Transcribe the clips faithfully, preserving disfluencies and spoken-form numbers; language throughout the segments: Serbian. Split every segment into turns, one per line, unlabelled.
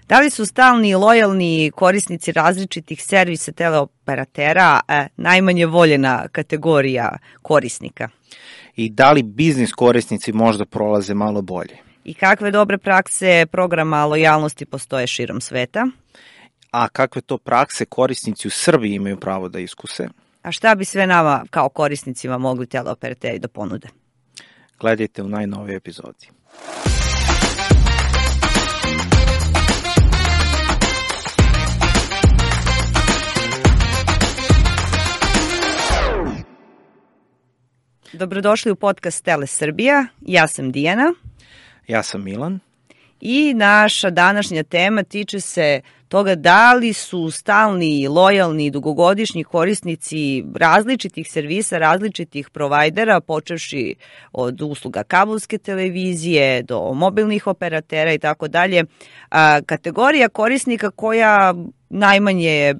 Da li su stalni i lojalni korisnici različitih servisa teleoperatera e, najmanje voljena kategorija korisnika?
I da li biznis korisnici možda prolaze malo bolje?
I kakve dobre prakse programa lojalnosti postoje širom sveta?
A kakve to prakse korisnici u Srbiji imaju pravo da iskuse?
A šta bi sve nama kao korisnicima mogli teleoperateri da ponude?
Gledajte u najnovijoj epizodi.
Dobrodošli u podcast Tele Srbija. Ja sam Dijana.
Ja sam Milan.
I naša današnja tema tiče se toga da li su stalni, lojalni, dugogodišnji korisnici različitih servisa, različitih provajdera, počevši od usluga kabelske televizije do mobilnih operatera i tako dalje, kategorija korisnika koja najmanje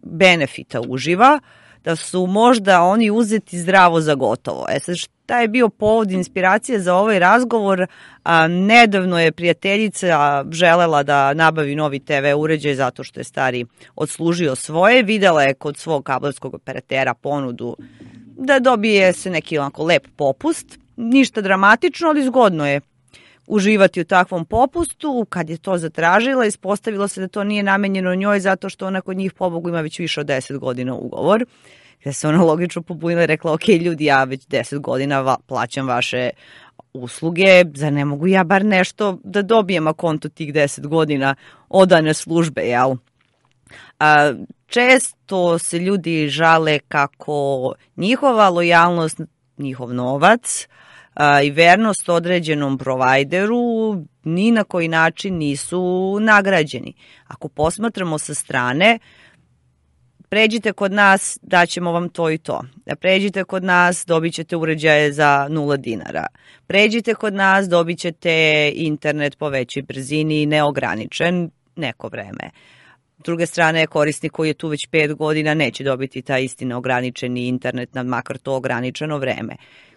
benefita uživa, da su možda oni uzeti zdravo za gotovo. E sad, šta je bio povod inspiracije za ovaj razgovor? A, nedavno je prijateljica želela da nabavi novi te ve uređaj zato što je stari odslužio svoje. Videla je kod svog kabelskog operatera ponudu da dobije se neki onako lep popust. Ništa dramatično, ali zgodno je uživati u takvom popustu. Kad je to zatražila, ispostavilo se da to nije namenjeno njoj zato što ona kod njih, pobogu, ima već više od deset godina ugovor. Gde se ona logično pobunila i rekla, ok, ljudi, ja već deset godina va, plaćam vaše usluge, zar ne mogu ja bar nešto da dobijem akonto tih deset godina odane službe, jel? A, često se ljudi žale kako njihova lojalnost, njihov novac a, i vernost određenom provajderu ni na koji način nisu nagrađeni. Ako posmatramo sa strane, pređite kod nas, daćemo vam to i to. Pređite kod nas, dobit ćete uređaje za nula dinara. Pređite kod nas, dobit ćete internet po većoj brzini, neograničen neko vreme. S druge strane, korisnik koji je tu već pet godina neće dobiti taj isti neograničeni internet na makar to ograničeno vreme.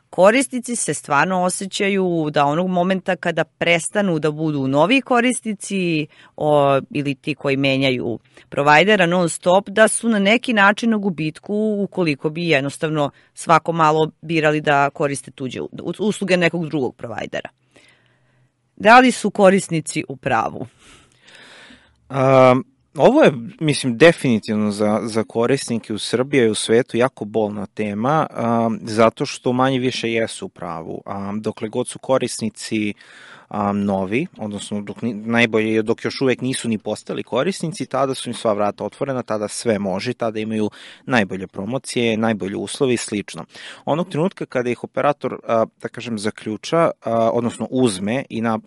Korisnici se stvarno osjećaju da onog momenta kada prestanu da budu novi korisnici o, ili ti koji menjaju provajdera non stop, da su na neki način na gubitku ukoliko bi jednostavno svako malo birali da koriste tuđe usluge nekog drugog provajdera. Da li su korisnici u pravu?
Um. Ovo je, mislim, definitivno za, za korisnike u Srbiji i u svetu jako bolna tema, um, zato što manje više jesu u pravu. Um, dokle god su korisnici um, novi, odnosno dok, najbolje je dok još uvek nisu ni postali korisnici, tada su im sva vrata otvorena, tada sve može, tada imaju najbolje promocije, najbolje uslove i slično. Onog trenutka kada ih operator, uh, da kažem, zaključa, uh, odnosno uzme i na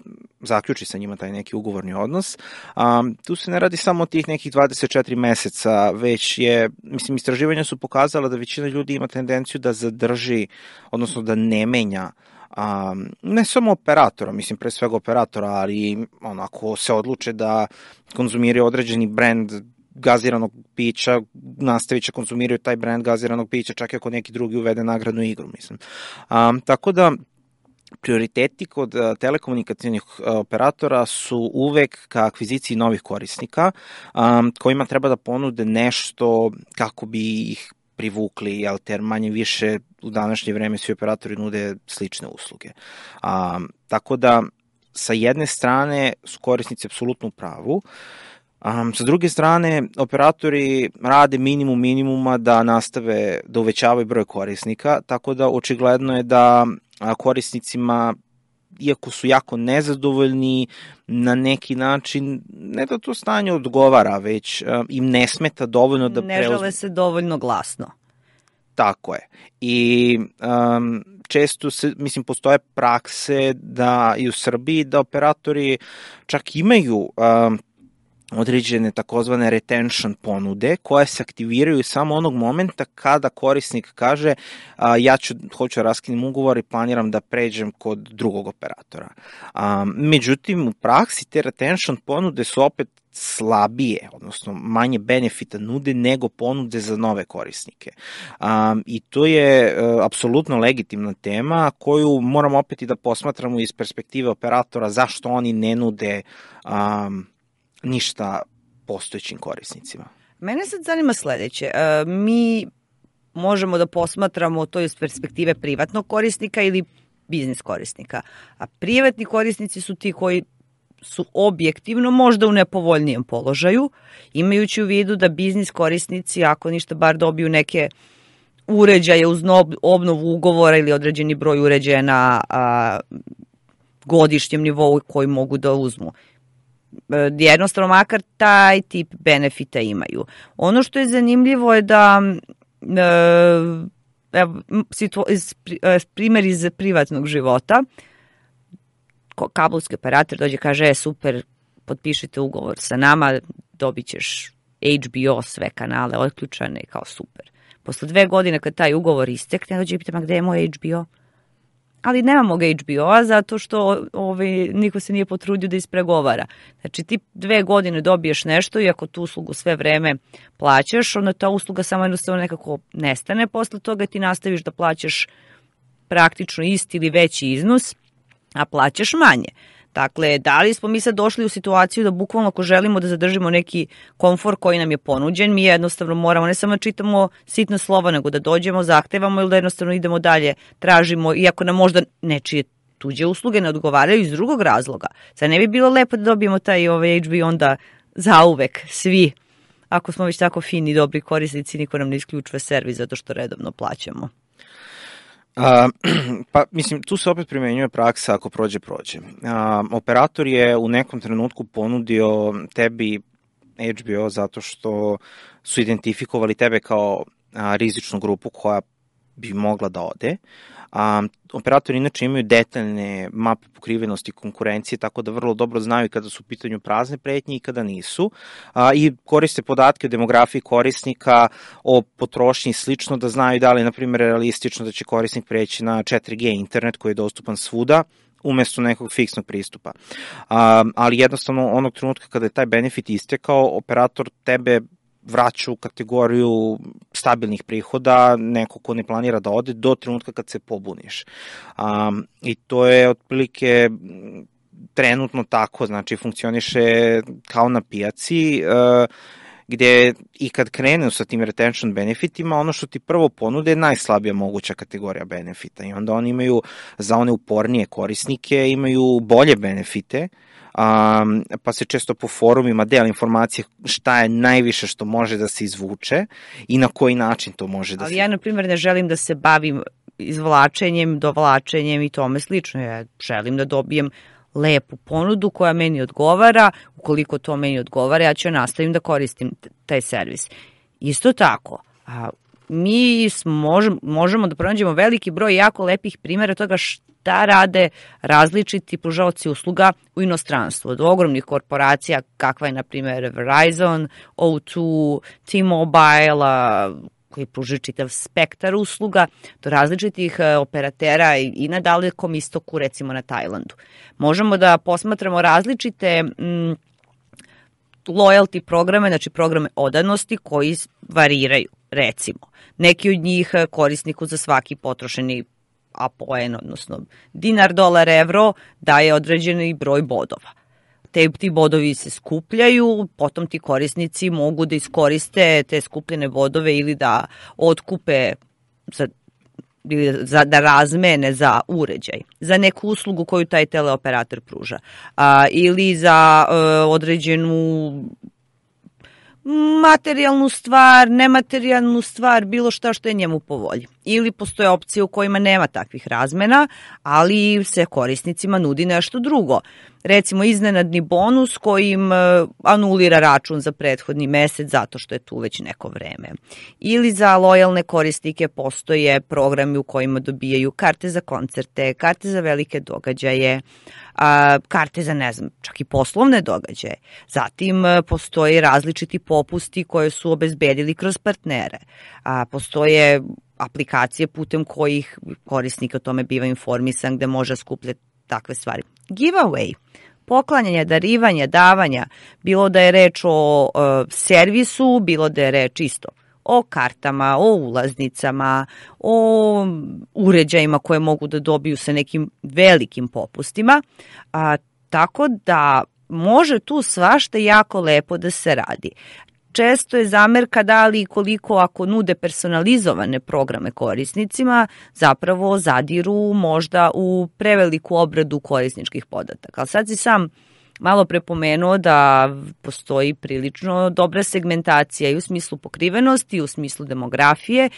zaključi sa njima taj neki ugovorni odnos. Um, tu se ne radi samo o tih nekih dvadeset četiri meseca, već je, mislim, istraživanja su pokazala da većina ljudi ima tendenciju da zadrži, odnosno da ne menja Um, ne samo operatora, mislim pre svega operatora, ali ono, ako se odluče da konzumiraju određeni brend gaziranog pića, nastavit će konzumiraju taj brend gaziranog pića, čak i ako neki drugi uvede nagradnu igru, mislim. Um, tako da prioriteti kod telekomunikacijnih operatora su uvek ka akviziciji novih korisnika, um, kojima treba da ponude nešto kako bi ih privukli, jel, ter manje više u današnje vreme svi operatori nude slične usluge. Um, tako da, sa jedne strane su korisnici apsolutno u pravu, Um, sa druge strane, operatori rade minimum minimuma da nastave da uvećavaju broj korisnika, tako da očigledno je da korisnicima, iako su jako nezadovoljni, na neki način, ne da to stanje odgovara, već um, im ne smeta dovoljno da
preuzme. Ne žele se dovoljno glasno.
Tako je. I um, često se, mislim, postoje prakse da i u Srbiji da operatori čak imaju um, određene takozvane retention ponude koje se aktiviraju samo onog momenta kada korisnik kaže a, ja ću, hoću da raskinem ugovor i planiram da pređem kod drugog operatora. A, međutim, u praksi te retention ponude su opet slabije, odnosno manje benefita nude nego ponude za nove korisnike. Um, I to je uh, apsolutno legitimna tema koju moramo opet i da posmatramo iz perspektive operatora zašto oni ne nude um, ništa postojećim korisnicima.
Mene sad zanima sledeće. E, mi možemo da posmatramo to iz perspektive privatnog korisnika ili biznis korisnika. A privatni korisnici su ti koji su objektivno možda u nepovoljnijem položaju, imajući u vidu da biznis korisnici, ako ništa bar dobiju neke uređaje uz obnovu ugovora ili određeni broj uređaja na a, godišnjem nivou koji mogu da uzmu. Jednostavno makar taj tip benefita imaju. Ono što je zanimljivo je da evo, primjer iz privatnog života, kablovski operator dođe, kaže, e, super, potpišite ugovor sa nama, dobit ćeš H B O, sve kanale otključane i kao super. Posle dve godine kad taj ugovor istekne, dođe i pita, ma gde je moj H B O? Ali nemamo ga H B O-a zato što ovaj, niko se nije potrudio da ispregovara. Znači ti dve godine dobiješ nešto i ako tu uslugu sve vreme plaćaš, onda ta usluga samo jednostavno nekako nestane, posle toga ti nastaviš da plaćaš praktično isti ili veći iznos, a plaćaš manje. Dakle, da li smo mi sad došli u situaciju da bukvalno ako želimo da zadržimo neki komfor koji nam je ponuđen, mi jednostavno moramo ne samo čitamo sitna slova, nego da dođemo, zahtevamo ili da jednostavno idemo dalje, tražimo, iako nam možda nečije tuđe usluge ne odgovaraju iz drugog razloga. Sad ne bi bilo lepo da dobijemo taj ovaj H B O onda zauvek, svi. Ako smo već tako fini i dobri korisnici, niko nam ne isključuje servis zato što redovno plaćamo.
A, pa, mislim, tu se opet primenjuje praksa ako prođe, prođe. A, operator je u nekom trenutku ponudio tebi H B O zato što su identifikovali tebe kao a, rizičnu grupu koja bi mogla da ode. A, operatori inače imaju detaljne mape pokrivenosti konkurencije, tako da vrlo dobro znaju kada su u pitanju prazne pretnje i kada nisu. A, I koriste podatke o demografiji korisnika, o potrošnji i slično, da znaju da li je, na primjer, realistično da će korisnik preći na četiri G internet koji je dostupan svuda, umesto nekog fiksnog pristupa. A, ali jednostavno onog trenutka kada je taj benefit istekao, operator tebe vraća u kategoriju stabilnih prihoda, neko ko ne planira da ode do trenutka kad se pobuniš. Um, I to je otprilike trenutno tako, znači funkcioniše kao na pijaci, uh, gde i kad krenu sa tim retention benefitima, ono što ti prvo ponude je najslabija moguća kategorija benefita i onda oni imaju, za one upornije korisnike, imaju bolje benefite, Um, pa se često po forumima dela informacije šta je najviše što može da se izvuče i na koji način to može da
Ali
se...
Ali ja, na primjer, ne želim da se bavim izvlačenjem, dovlačenjem i tome slično. Ja želim da dobijem lepu ponudu koja meni odgovara. Ukoliko to meni odgovara, ja ću nastavim da koristim taj servis. Isto tako, a, mi možemo, možemo da pronađemo veliki broj jako lepih primjera toga šta rade različiti pružaoci usluga u inostranstvu. Od ogromnih korporacija kakva je, na primjer, Verizon, O dva, T-Mobile, koji pružuje čitav spektar usluga, do različitih operatera i na Dalekom istoku, recimo na Tajlandu. Možemo da posmatramo različite mm, loyalty programe, znači programe odanosti koji variraju. Recimo, neki od njih korisniku za svaki potrošeni apoen, odnosno dinar, dolar, evro, daje određeni broj bodova. Te, ti bodovi se skupljaju, potom ti korisnici mogu da iskoriste te skupljene bodove ili da otkupe, za, ili za, da razmene za uređaj, za neku uslugu koju taj teleoperator pruža, a, ili za a, određenu materijalnu stvar, nematerijalnu stvar, bilo šta što je njemu po volji. Ili postoje opcije u kojima nema takvih razmena, ali se korisnicima nudi nešto drugo. Recimo iznenadni bonus kojim anulira račun za prethodni mesec zato što je tu već neko vreme. Ili za lojalne korisnike postoje programi u kojima dobijaju karte za koncerte, karte za velike događaje, a, karte za, ne znam, čak i poslovne događaje. Zatim postoje različiti popusti koje su obezbedili kroz partnere. A, postoje aplikacije putem kojih korisnik o tome biva informisan gde može skupljati takve stvari. Giveaway, poklanjanje, darivanje, davanja, bilo da je reč o uh, servisu, bilo da je reč isto o kartama, o ulaznicama, o uređajima koje mogu da dobiju sa nekim velikim popustima, a, tako da može tu svašta jako lepo da se radi. Često je zamerka da li koliko ako nude personalizovane programe korisnicima, zapravo zadiru možda u preveliku obradu korisničkih podataka. Ali sad si sam malo prepomenuo da postoji prilično dobra segmentacija i u smislu pokrivenosti, i u smislu demografije.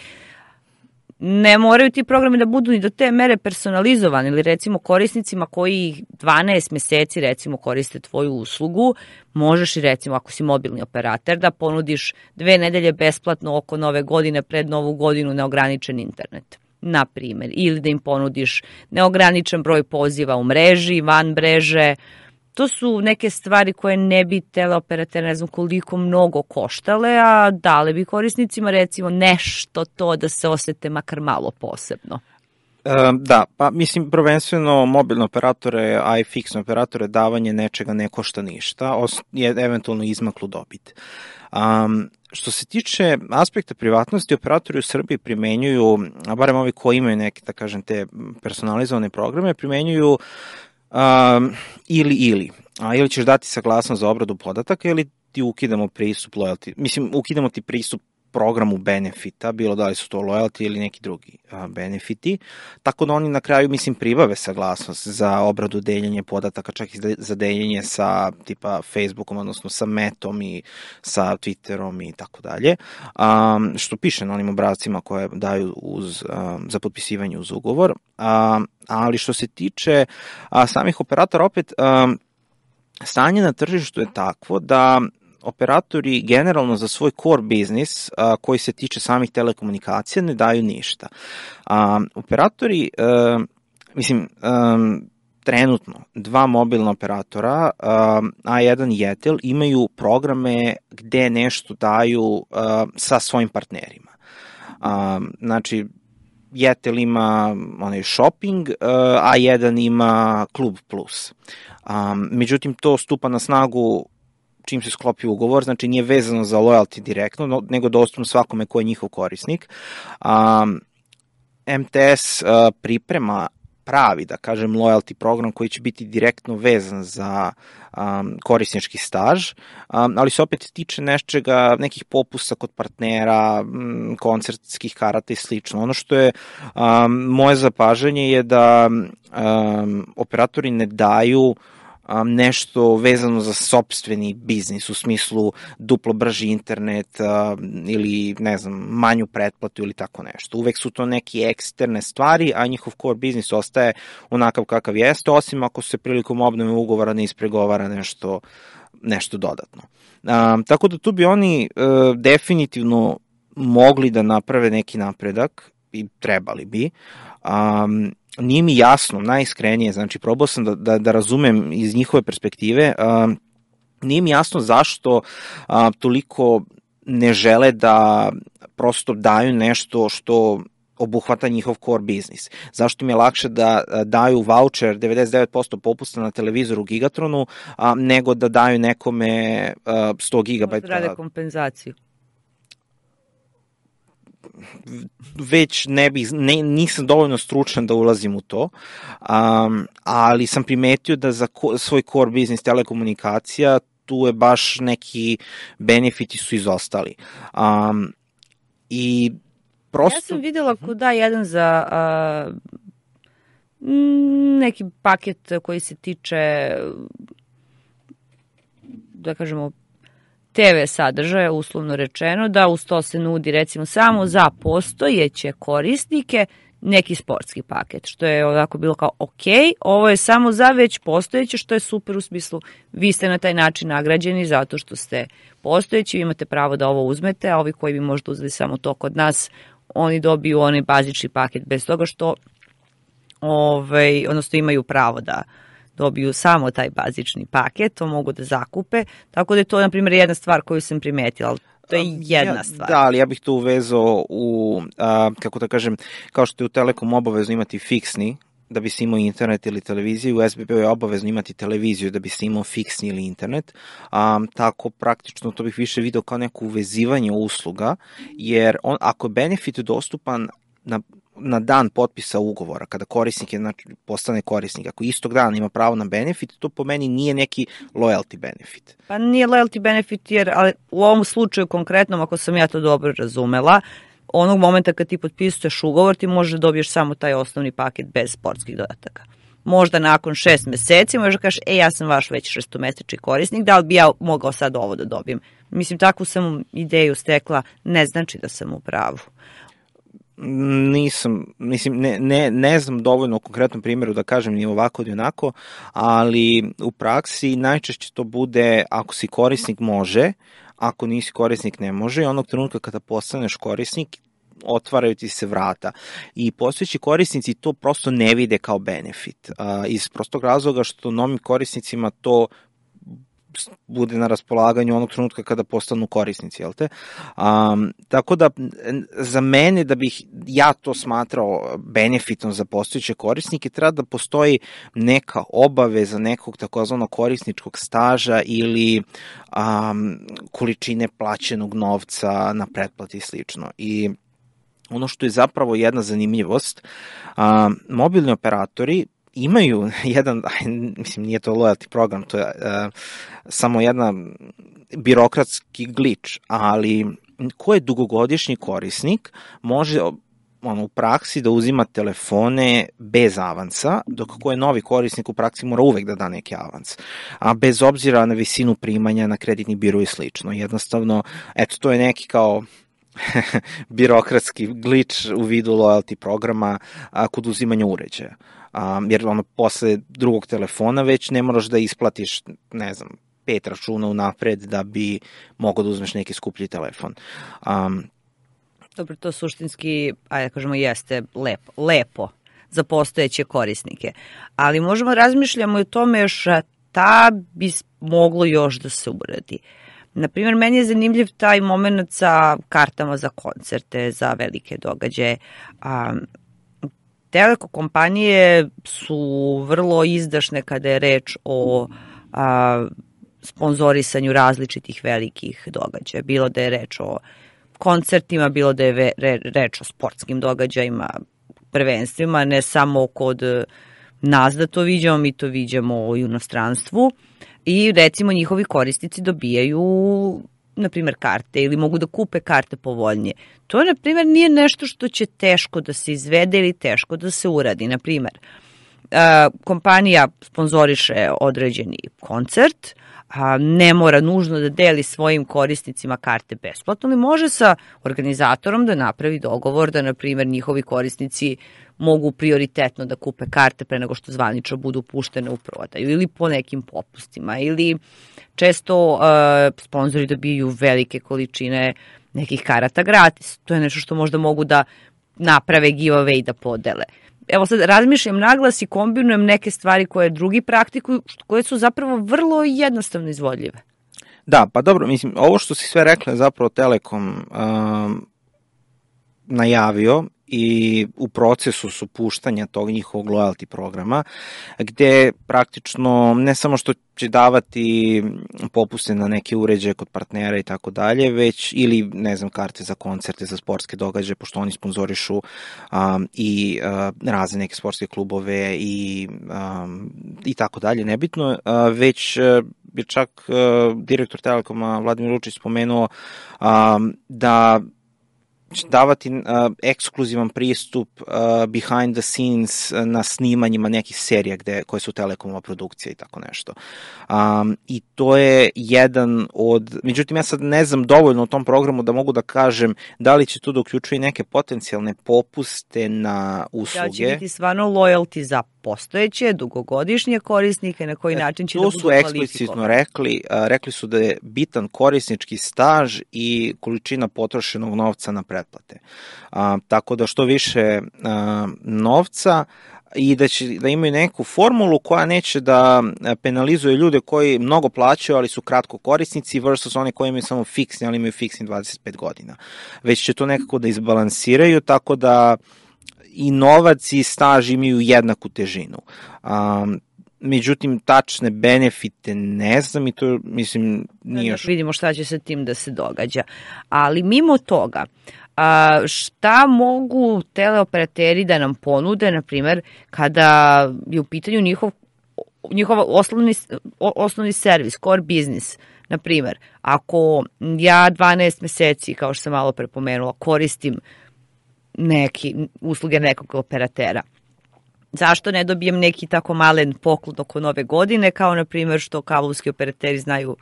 Ne moraju ti programi da budu ni do te mere personalizovani, ili recimo korisnicima koji dvanaest meseci recimo koriste tvoju uslugu, možeš i recimo ako si mobilni operator da ponudiš dve nedelje besplatno oko nove godine pred novu godinu neograničen internet, na primjer, ili da im ponudiš neograničen broj poziva u mreži, van mreže. To su neke stvari koje ne bi teleoperater ne znam koliko mnogo koštale, a dale bi korisnicima recimo nešto to da se osete makar malo posebno.
E, da, pa mislim prvenstveno mobilne operatore, a i fiksne operatore davanje nečega ne košta ništa, je eventualno izmaklu dobit. Um, što se tiče aspekta privatnosti, operatori u Srbiji primenjuju, a barem ovi koji imaju neke, da kažem, te personalizovane programe, primenjuju Um, ili ili, a ili ćeš dati saglasnost za obradu podataka ili ti ukidamo pristup loyalty, mislim ukidamo ti pristup programu benefita, bilo da li su to loyalty ili neki drugi a, benefiti, tako da oni na kraju mislim pribave saglasnost za obradu deljenje podataka, čak i za deljenje sa tipa Facebookom, odnosno sa Metom i sa Twitterom i tako dalje, što piše na onim obrazcima koje daju uz, a, za potpisivanje uz ugovor, a, ali što se tiče a, samih operatora, opet a, stanje na tržištu je takvo da operatori generalno za svoj core biznis a, koji se tiče samih telekomunikacija ne daju ništa. A, operatori, a, mislim, a, trenutno dva mobilna operatora, a, A jedan i Jetel, imaju programe gde nešto daju a, sa svojim partnerima. A, znači, Jetel ima onaj shopping, A jedan ima Klub Plus. A, međutim, to stupa na snagu čim se sklopi ugovor, znači nije vezano za loyalty direktno, nego dostupno svakome ko je njihov korisnik. Um, M T S uh, priprema pravi, da kažem, loyalty program koji će biti direktno vezan za um, korisnički staž, um, ali se opet tiče nečega, nekih popusta kod partnera, um, koncertskih karata i slično. Ono što je um, moje zapažanje je da um, operatori ne daju Um, nešto vezano za sopstveni biznis, u smislu duplo brži internet uh, ili, ne znam, manju pretplatu ili tako nešto. Uvek su to neke eksterne stvari, a njihov core biznis ostaje onakav kakav jeste, osim ako se prilikom obnove ugovora ne ispregovara nešto, nešto dodatno. Um, tako da tu bi oni uh, definitivno mogli da naprave neki napredak i trebali bi. Um, Nije mi jasno, najiskrenije, znači probao sam da, da, da razumem iz njihove perspektive, uh, nije mi jasno zašto uh, toliko ne žele da prosto daju nešto što obuhvata njihov core biznis. Zašto im je lakše da daju voucher devedeset devet posto popusta na televizoru Gigatronu, a, nego da daju nekome a, sto gigabajta.
Možda rade kompenzaciju.
Već ne bih, ne, nisam dovoljno stručan da ulazim u to, um, ali sam primetio da za ko, svoj core biznis telekomunikacija tu je baš neki benefiti su izostali. Um, I prosto...
Ja sam videla kod da jedan za a, neki paket koji se tiče, da kažemo, te ve sadržaja, uslovno rečeno, da uz to se nudi recimo samo za postojeće korisnike neki sportski paket, što je ovako bilo kao ok, ovo je samo za već postojeće, što je super u smislu vi ste na taj način nagrađeni zato što ste postojeći, vi imate pravo da ovo uzmete, a ovi koji bi možda uzeli samo to kod nas, oni dobiju onaj bazični paket bez toga što ovaj, odnosno imaju pravo da dobiju samo taj bazični paket, to mogu da zakupe, tako da je to, na primjer, jedna stvar koju sam primetila, ali to je jedna
ja,
stvar.
Da, ali ja bih to uvezao u, a, kako da kažem, kao što je u Telekom obavezno imati fiksni, da bi se imao internet ili televiziju, u es be be je obavezno imati televiziju da bi se imao fiksni ili internet, a, tako praktično to bih više video kao neko uvezivanje usluga, jer on, ako je benefit dostupan na na dan potpisa ugovora, kada korisnik je, znači, postane korisnik, ako istog dana ima pravo na benefit, to po meni nije neki loyalty benefit.
Pa nije loyalty benefit, jer ali u ovom slučaju konkretnom, ako sam ja to dobro razumela, onog momenta kad ti potpisuješ ugovor, ti možeš da dobiješ samo taj osnovni paket bez sportskih dodataka. Možda nakon šest meseci možeš da kažeš, e, ja sam vaš već šestomesečni korisnik, da li bi ja mogao sad ovo da dobijem? Mislim, takvu sam ideju stekla, ne znači da sam u pravu.
Nisam, mislim, ne, ne, ne znam dovoljno u konkretnom primjeru da kažem ni ovako ni onako, ali u praksi najčešće to bude ako si korisnik može, ako nisi korisnik ne može, i onog trenutka kada postaneš korisnik otvaraju ti se vrata. I postojeći korisnici to prosto ne vide kao benefit. Iz prostog razloga što novim korisnicima to bude na raspolaganju onog trenutka kada postanu korisnici, jel te? Um, tako da, za mene, da bih ja to smatrao benefitom za postojeće korisnike, treba da postoji neka obaveza nekog takozvanog korisničkog staža ili um, količine plaćenog novca na pretplati i slično. I ono što je zapravo jedna zanimljivost, um, mobilni operatori imaju jedan, mislim, nije to loyalty program, to je uh, samo jedna birokratski glitch, ali ko je dugogodišnji korisnik može ono, u praksi da uzima telefone bez avansa, dok ko je novi korisnik u praksi mora uvek da da neki avans, a bez obzira na visinu primanja, na kreditni biro i slično. Jednostavno, eto, to je neki kao birokratski glitch u vidu loyalty programa a, kod uzimanja uređaja. Um, jer ono, posle drugog telefona već ne moraš da isplatiš, ne znam, pet računa unapred da bi mogao da uzmeš neki skuplji telefon. Um,
Dobro, to suštinski, ajde kažemo, jeste lepo, lepo za postojeće korisnike. Ali možemo razmišljamo i o tome šta bi moglo još da se uradi. Naprimjer, meni je zanimljiv taj moment sa kartama za koncerte, za velike događaje. Um, Teleko kompanije su vrlo izdašne kada je reč o a, sponzorisanju različitih velikih događaja. Bilo da je reč o koncertima, bilo da je ve, re, reč o sportskim događajima, prvenstvima, ne samo kod nas da to viđamo, mi to viđamo u inostranstvu i recimo njihovi korisnici dobijaju na primjer karte ili mogu da kupe karte povoljnije. To na primjer nije nešto što će teško da se izvede ili teško da se uradi. Na primjer, kompanija sponzoriše određeni koncert, ne mora nužno da deli svojim korisnicima karte besplatno, ali može sa organizatorom da napravi dogovor da na primjer njihovi korisnici mogu prioritetno da kupe karte pre nego što zvanično budu puštene u prodaju ili po nekim popustima ili često uh, sponzori dobiju velike količine nekih karata gratis. To je nešto što možda mogu da naprave giveaway i da podele. Evo sad razmišljam naglas i kombinujem neke stvari koje drugi praktikuju, koje su zapravo vrlo jednostavno izvodljive.
Da, pa dobro, mislim, ovo što si sve rekla je zapravo Telekom um, najavio i u procesu su puštanja tog njihovog loyalty programa, gde praktično ne samo što će davati popuste na neke uređaje kod partnera i tako dalje, već ili, ne znam, karte za koncerte, za sportske događaje, pošto oni sponzorišu um, i uh, razne neke sportske klubove i, um, i tako dalje, nebitno, uh, već uh, je čak uh, direktor Telekoma Vladimir Lučić spomenuo um, da će davati uh, ekskluzivan pristup uh, behind the scenes na snimanjima nekih serija gde, koje su Telekomova produkcija i tako nešto. Um, I to je jedan od... Međutim, ja sad ne znam dovoljno o tom programu da mogu da kažem da li će to da uključuje neke potencijalne popuste na usluge.
Da će biti stvarno loyalty za postojeće, dugogodišnje korisnike, na koji način će da budu kvalifikovani.
To su eksplicitno rekli, uh, rekli su da je bitan korisnički staž i količina potrošenog novca na pretplate. Uh, tako da što više uh, novca i da će da imaju neku formulu koja neće da penalizuje ljude koji mnogo plaćaju, ali su kratko korisnici versus one koji imaju samo fiksni, ali imaju fiksni dvadeset pet godina. Već će to nekako da izbalansiraju, tako da i novac i staž imaju jednaku težinu. Um, međutim, tačne benefite ne znam i to, mislim, nije još...
Vidimo šta će sa tim da se događa. Ali mimo toga, A, šta mogu teleoperateri da nam ponude, na primer, kada je u pitanju njihov, njihov osnovni, osnovni servis, core business? Na primer, ako ja dvanaest meseci, kao što sam malo prepomenula, koristim neki usluge nekog operatera, zašto ne dobijem neki tako malen poklon oko nove godine, kao na primjer što kablovski operateri znaju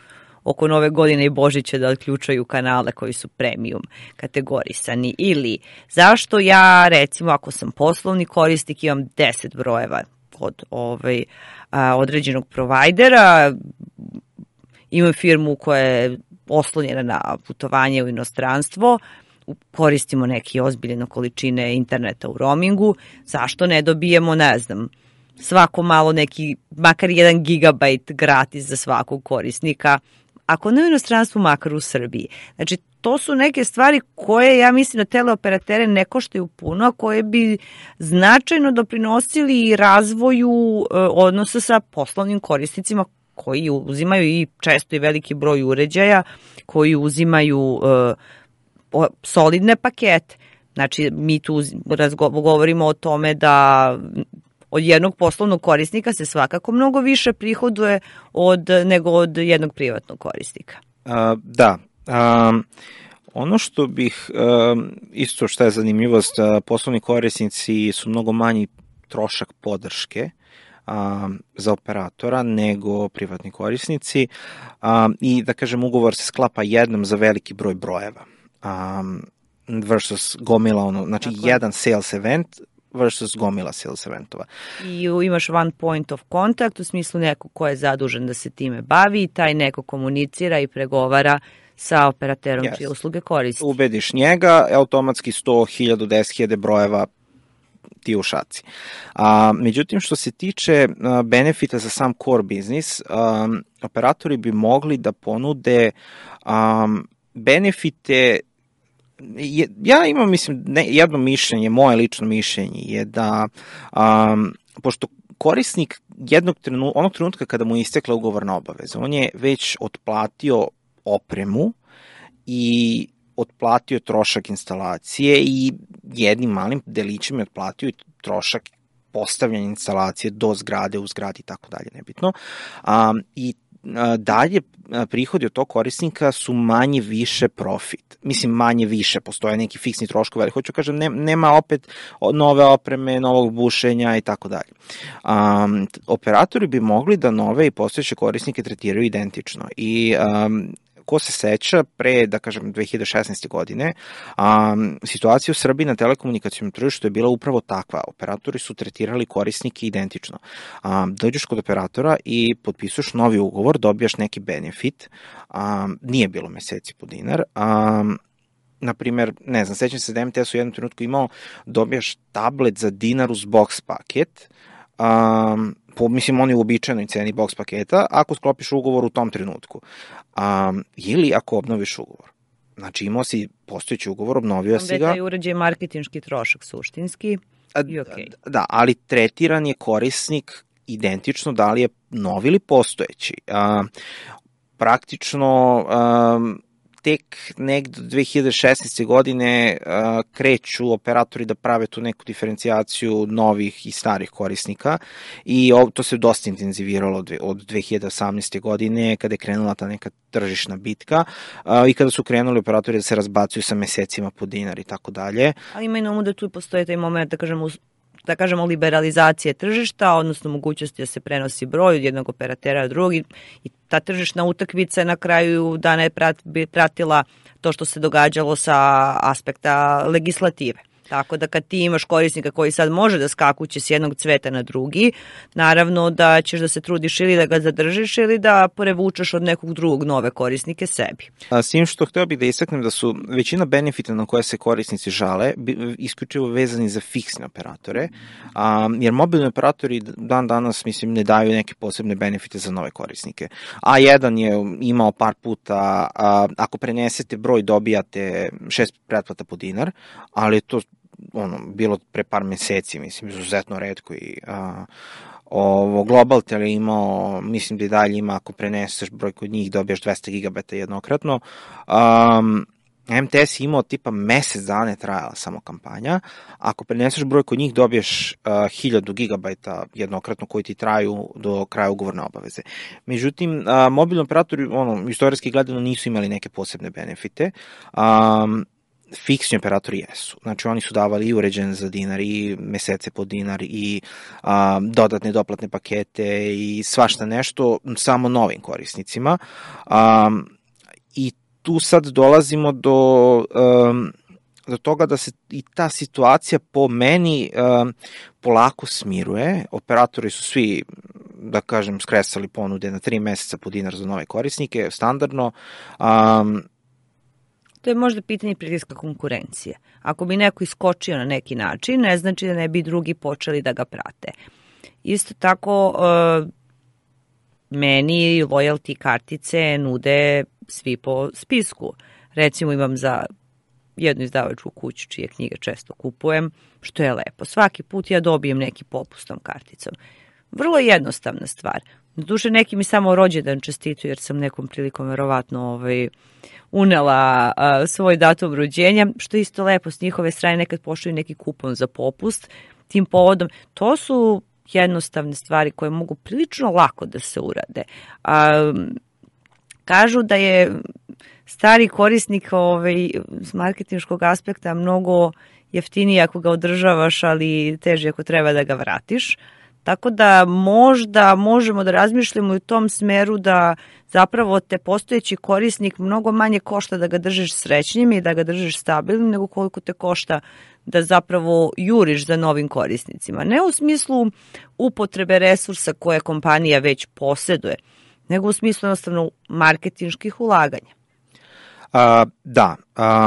oko nove godine i Božića da odključaju kanale koji su premium kategorisani, ili zašto ja, recimo, ako sam poslovni korisnik, imam deset brojeva od ovaj, a, određenog provajdera, imam firmu koja je oslonjena na putovanje u inostranstvo, koristimo neke ozbiljne količine interneta u roamingu, zašto ne dobijemo, ne znam, svako malo neki, makar jedan gigabajt gratis za svakog korisnika, ako ne u inostranstvu, makar u Srbiji. Znači, to su neke stvari koje, ja mislim, da teleoperatere ne koštaju puno, a koje bi značajno doprinosili i razvoju e, odnosa sa poslovnim korisnicima koji uzimaju i često i veliki broj uređaja, koji uzimaju e, solidne pakete. Znači, mi tu govorimo o tome da od jednog poslovnog korisnika se svakako mnogo više prihoduje od, nego od jednog privatnog korisnika.
A, da. A, ono što bih, a, isto što je zanimljivost, a, poslovni korisnici su mnogo manji trošak podrške a, za operatora nego privatni korisnici a, i da kažem ugovor se sklapa jednom za veliki broj brojeva. Um, versus gomila, ono, znači Tako jedan je. Sales event versus gomila sales eventova.
I imaš one point of contact, u smislu neko ko je zadužen da se time bavi i taj neko komunicira i pregovara sa operaterom yes. čije usluge koristi.
Ubediš njega, automatski sto hiljada, deset hiljada brojeva ti u šaci. A, međutim, što se tiče a, benefita za sam core biznis, a, operatori bi mogli da ponude a, benefite. Ja imam, mislim, ne, jedno mišljenje, moje lično mišljenje je da, um, pošto korisnik jednog trenu, onog trenutka kada mu je istekla ugovorna obaveza, on je već otplatio opremu i otplatio trošak instalacije i jednim malim delićem je otplatio trošak postavljanja instalacije do zgrade, u zgradi i tako dalje, nebitno. Um, I dalje prihodi od tog korisnika su manje više profit. Mislim, manje više, postoje neki fiksni troškovi, ali hoću kažem, ne, nema opet nove opreme, novog bušenja i tako dalje. Um, operatori bi mogli da nove i postojeće korisnike tretiraju identično i um, ko se seća, pre, da kažem, dve hiljade šesnaeste. godine, um, situacija u Srbiji na telekomunikacijnom tržištu je bila upravo takva. Operatori su tretirali korisnike identično. Um, dođeš kod operatora i potpisuješ novi ugovor, dobijaš neki benefit, um, nije bilo meseci po dinar, um, na primer, ne znam, sećam se da M T S u jednom trenutku imao, dobijaš tablet za dinar uz box paket, um, po, mislim, on je u običajnoj ceni box paketa, ako sklopiš ugovor u tom trenutku. Um, ili ako obnoviš ugovor. Znači, imao si postojeći ugovor, obnovio si ga.
Onda je taj uređaj marketinški trošak suštinski i okej. Okay.
Da, ali tretiran je korisnik identično da li je novi ili postojeći. Um, praktično, um, tek negde do dve hiljade šesnaeste. godine uh, kreću operatori da prave tu neku diferencijaciju novih i starih korisnika i ovo, to se dosta intenziviralo od, od dve hiljade osamnaeste. godine kada je krenula ta neka tržišna bitka uh, i kada su krenuli operatori da se razbacuju sa mesecima po dinar i tako dalje.
Ali ima i na umu da tu postoji taj moment, da kažemo, da kažemo liberalizacije tržišta, odnosno mogućnosti da se prenosi broj od jednog operatera od drugog i ta tržišna utakmica na kraju dana je pratila to što se događalo sa aspekta legislative. Tako da kad ti imaš korisnika koji sad može da skakuće s jednog cveta na drugi, naravno da ćeš da se trudiš ili da ga zadržiš ili da prevučeš od nekog drugog nove korisnike sebi.
A, s tim što hteo bih da istaknem da su većina benefita na koje se korisnici žale isključivo vezani za fiksne operatore, a, jer mobilni operatori dan danas, mislim, ne daju neke posebne benefite za nove korisnike. A jedan je imao par puta, a, ako prenesete broj dobijate šest pretplata po dinar, ali to ono, bilo pre par meseci, mislim, izuzetno retko i a, ovo, Globaltel je imao, mislim da i dalje ima, ako preneseš broj kod njih, dobijaš dvesta gigabajta jednokratno. Um, M T S je imao tipa mesec dana je trajala samo kampanja, ako preneseš broj kod njih dobiješ uh, hiljadu gigabajta jednokratno koji ti traju do kraja ugovorne obaveze. Međutim, uh, mobilni operatori, ono, istorijski gledano nisu imali neke posebne benefite, um, fiksni operatori jesu. Znači, oni su davali i uređen za dinar, i mesece po dinar, i a, dodatne doplatne pakete, i svašta nešto, samo novim korisnicima. A, I tu sad dolazimo do, um, do toga da se i ta situacija po meni um, polako smiruje. Operatori su svi, da kažem, skresali ponude na tri meseca po dinar za nove korisnike, standardno. Um,
To je možda pitanje pritiska konkurencije. Ako bi neko iskočio na neki način, ne znači da ne bi drugi počeli da ga prate. Isto tako, uh, meni loyalty kartice nude svi po spisku. Recimo imam za jednu izdavačku kuću čije knjige često kupujem, što je lepo. Svaki put ja dobijem neki popust tom karticom. Vrlo jednostavna stvar. Doduše neki mi samo rođendan čestituju jer sam nekom prilikom verovatno ovaj, unela a, svoj datum rođenja, što je isto lepo s njihove strane, nekad pošalju neki kupon za popust tim povodom. To su jednostavne stvari koje mogu prilično lako da se urade. A, kažu da je stari korisnik ovaj, s marketinškog aspekta mnogo jeftiniji ako ga održavaš, ali teži ako treba da ga vratiš. Tako da možda možemo da razmišljamo u tom smeru da zapravo te postojeći korisnik mnogo manje košta da ga držiš srećnim i da ga držiš stabilnim nego koliko te košta da zapravo juriš za novim korisnicima. Ne u smislu upotrebe resursa koje kompanija već posjeduje, nego u smislu jednostavno marketinških ulaganja.
Uh, da,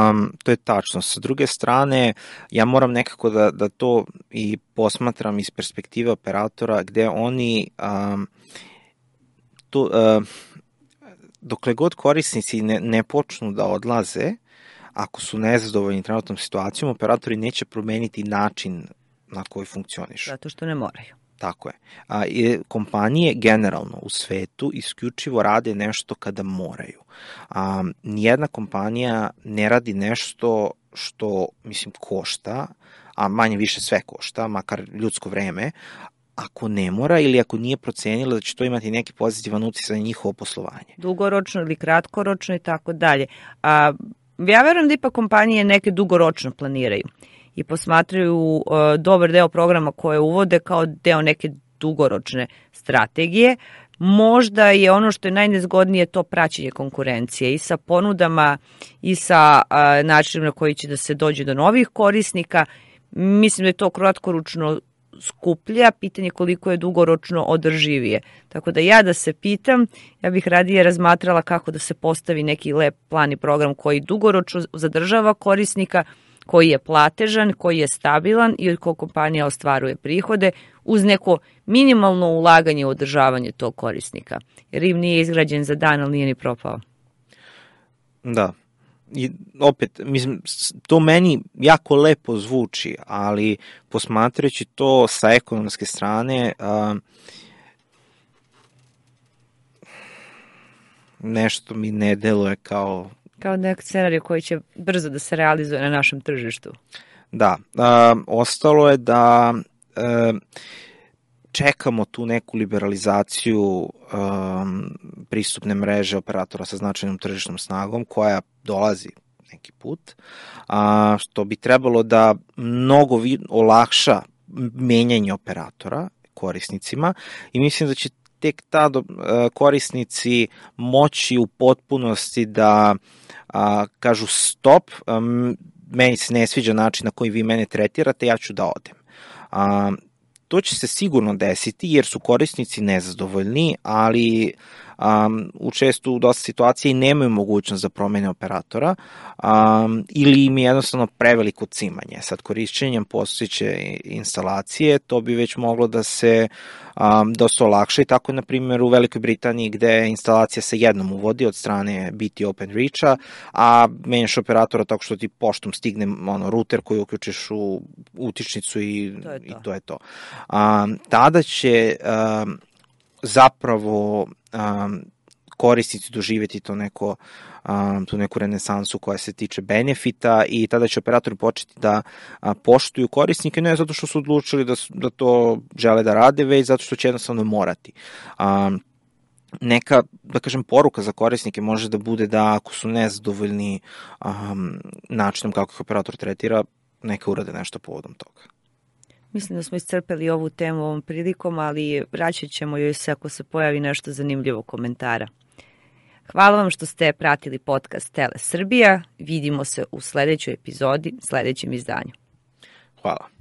um, to je tačno. Sa druge strane, ja moram nekako da, da to i posmatram iz perspektive operatora gde oni um, to, uh, dokle god korisnici ne, ne počnu da odlaze, ako su nezadovoljni trenutnom situacijom, operatori neće promeniti način na koji funkcionišu.
Zato što ne moraju.
Tako je. A, i kompanije generalno u svetu isključivo rade nešto kada moraju. A, nijedna kompanija ne radi nešto što, mislim, košta, a manje više sve košta, makar ljudsko vreme, ako ne mora ili ako nije procenila da će to imati neki pozitivan uticaj na njihovo poslovanje.
Dugoročno ili kratkoročno i tako dalje. A, ja verujem da ipak kompanije neke dugoročno planiraju i posmatraju uh, dobar deo programa koje uvode kao deo neke dugoročne strategije. Možda je ono što je najnezgodnije to praćenje konkurencije i sa ponudama i sa uh, načinom na koji će da se dođe do novih korisnika. Mislim da je to kratkoročno skuplja, pitanje koliko je dugoročno održivije. Tako da ja da se pitam, ja bih radije razmatrala kako da se postavi neki lep plan i program koji dugoročno zadržava korisnika, koji je platežan, koji je stabilan i od kojeg kompanija ostvaruje prihode uz neko minimalno ulaganje u održavanje tog korisnika. Jer im nije izgrađen za dan, ali nije ni propao.
Da. I opet, mislim, to meni jako lepo zvuči, ali posmatrajući to sa ekonomske strane, a, nešto mi ne deluje kao...
Kao nek scenarij koji će brzo da se realizuje na našem tržištu.
Da, a, ostalo je da a, čekamo tu neku liberalizaciju a, pristupne mreže operatora sa značajnom tržišnom snagom koja dolazi neki put, a, što bi trebalo da mnogo vi, olakša menjanje operatora korisnicima i mislim da će tek tada korisnici moći u potpunosti da a, kažu stop, a, meni se ne sviđa način na koji vi mene tretirate, ja ću da odem. A, to će se sigurno desiti jer su korisnici nezadovoljni, ali um, u često u dosta situacija i nemaju mogućnost za promene operatora um, ili im je jednostavno preveliko cimanje. Sad korišćenjem postojeće instalacije to bi već moglo da se um, dosta olakša i tako na primjer u Velikoj Britaniji gde je instalacija se jednom uvodi od strane B T Open Reach-a, a menjaš operatora tako što ti poštom stigne ono, ruter koji uključiš u utičnicu i to je to. I to, je to. Um, tada će um, zapravo um, korisnici doživjeti to neko, a, tu neku renesansu koja se tiče benefita i tada će operatori početi da a, poštuju korisnike, ne zato što su odlučili da, da to žele da rade, već zato što će jednostavno morati. A, neka, da kažem, poruka za korisnike može da bude da ako su nezadovoljni um, načinom kako ih operator tretira, neka urade nešto povodom toga.
Mislim da smo iscrpeli ovu temu ovom prilikom, ali vraćat ćemo joj se ako se pojavi nešto zanimljivo komentara. Hvala vam što ste pratili podcast Tele Srbija. Vidimo se u sledećoj epizodi, sledećem izdanju.
Hvala.